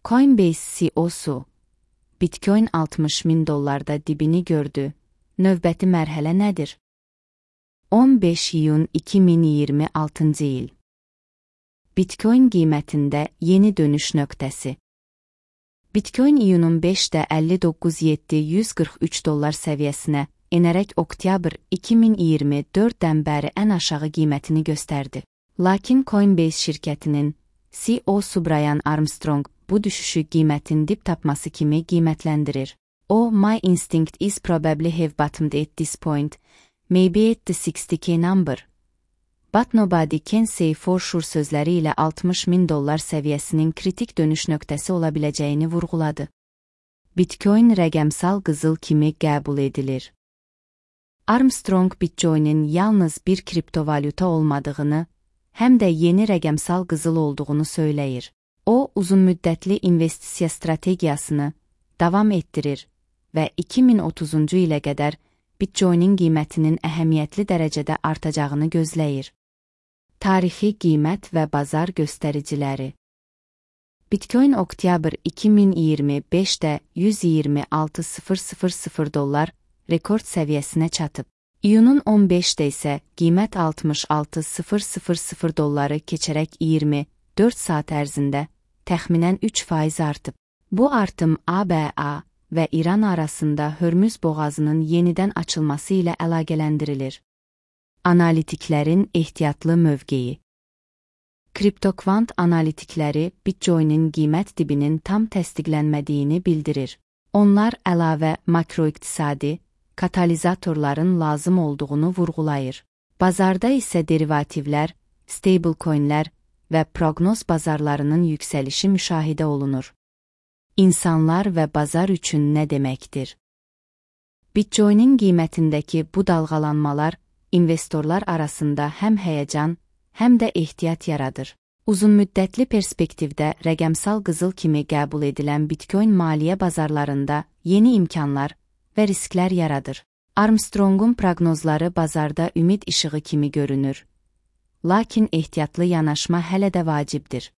Coinbase CEO-su, Bitcoin $60.000 dibini gördü. Növbəti mərhələ nədir? 15 iyun 2026 il. Bitcoin qiymətində yeni dönüş nöqtəsi. Bitcoin iyunun 5-də $59.743 səviyyəsinə enərək oktyabr 2024-dən bəri ən aşağı qiymətini göstərdi. Lakin Coinbase şirkətinin CEO-su Brian Armstrong bu düşüşü qiymətin dip tapması kimi qiymətləndirir. O, "My instinct is probably have bottomed at this point, maybe at the 60K number. But nobody can say for sure" sözləri ilə $60.000 səviyyəsinin kritik dönüş nöqtəsi ola biləcəyini vurğuladı. Bitcoin rəqəmsal qızıl kimi qəbul edilir. Armstrong Bitcoin'in yalnız bir kriptovalyuta olmadığını, həm də yeni rəqəmsal qızıl olduğunu söyləyir. O, uzunmüddətli investisiya strategiyasını davam etdirir və 2030-cu ilə qədər Bitcoin'in qiymətinin əhəmiyyətli dərəcədə artacağını gözləyir. Tarixi qiymət və bazar göstəriciləri. Bitcoin oktyabr 2025-də $126.000 rekord səviyyəsinə çatıb. İyunun 15-də isə qiymət $66.000 keçərək 24 saat ərzində təxminən 3% artıb. Bu artım ABA və İran arasında Hörmüz boğazının yenidən açılması ilə əlaqələndirilir. Analitiklərin ehtiyatlı mövqeyi. CryptoQuant analitikləri Bitcoin'in qiymət dibinin tam təsdiqlənmədiyini bildirir. Onlar əlavə makroiqtisadi katalizatorların lazım olduğunu vurğulayır. Bazarda isə derivativlər, stablecoinlər və proqnoz bazarlarının yüksəlişi müşahidə olunur. İnsanlar və bazar üçün nə deməkdir? Bitcoin'in qiymətindəki bu dalğalanmalar investorlar arasında həm həyəcan, həm də ehtiyat yaradır. Uzunmüddətli perspektivdə rəqəmsal qızıl kimi qəbul edilən Bitcoin maliyyə bazarlarında yeni imkanlar və risklər yaradır. Armstrong'un proqnozları bazarda ümid işığı kimi görünür. Lakin ehtiyatlı yanaşma hələ də vacibdir.